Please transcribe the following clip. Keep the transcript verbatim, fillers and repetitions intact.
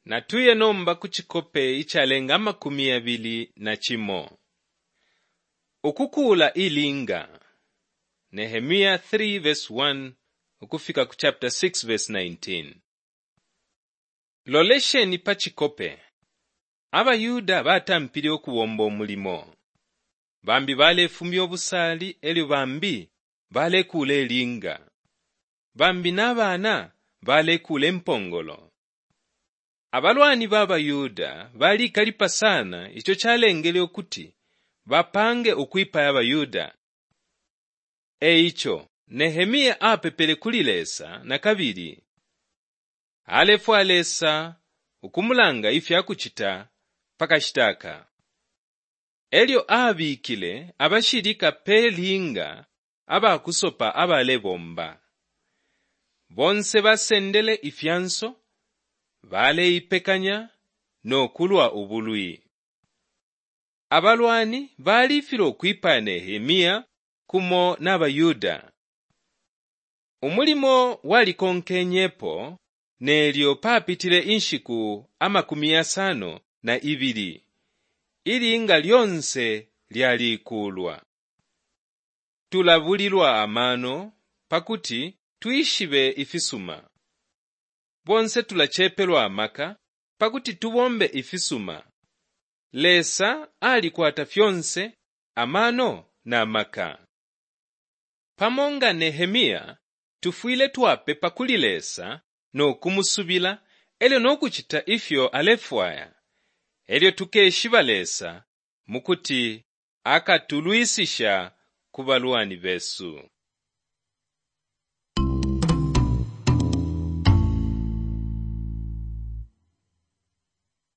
Natuye nomba ku cikope icalenga amakumi yabili na cimo. Ukukuula ilinga. Nehemia three verse one ukufika ku chapter six verse nineteen. Lolesheni pa cikope. AbaYuda batampile ukubomba umulimo. Bambi balefumya ubusali elyo bambi balekuula ilinga. Bambi na bana balekuula impongolo. Abalwani ba baYuda balikalipa sana ico calengele ukuti bapange ukwipaya abaYuda. E ico Nehemia apepele kuli Lesa na kabili. Alefwaya Lesa ukumulanga ifya kucita pa kashita aka. Elyo abikile abashilika pe linga abakusopa abalebomba. Bonse basendele ifyanso, baleipekanya no kulwa ubulwi. Abalwani balifilwa ukwipaya Nehemia kumo na baYuda. Umulimo walikonkenyepo nelyo papitile inshiku amakumi yasano na ibili. Ilinga lyonse lyalikuulwa. Tulabulilwa amano pakuti twishibe ifisuma. Bonse tulacepelwa amaka pakuti tubombe ifisuma. Lesa alikwata fyonse amano na maka. Pamo nga Nehemia, tufwile twapepa kuli Lesa no kumusubila elyo no kucita ifyo alefwaya. Elyo tukeshiba Lesa mukuti akatulwisisha ku balwani besu.